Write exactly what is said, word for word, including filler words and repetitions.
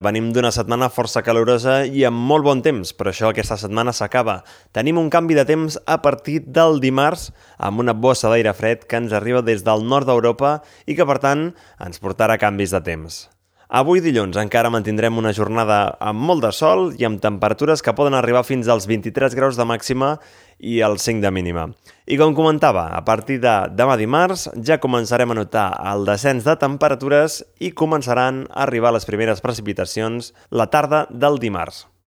Venim d'una setmana força calorosa i amb molt bon temps, però això aquesta setmana s'acaba. Tenim un canvi de temps a partir del dimarts amb una bossa d'aire fred que ens arriba des del nord d'Europa i que, per tant, ens portarà canvis de temps. Avui dilluns encara mantindrem una jornada amb molt de sol i amb temperatures que poden arribar fins als vint-i-tres graus de màxima i als cinc de mínima. I com comentava, a partir de demà dimarts ja començarem a notar el descens de temperatures i començaran a arribar les primeres precipitacions la tarda del dimarts.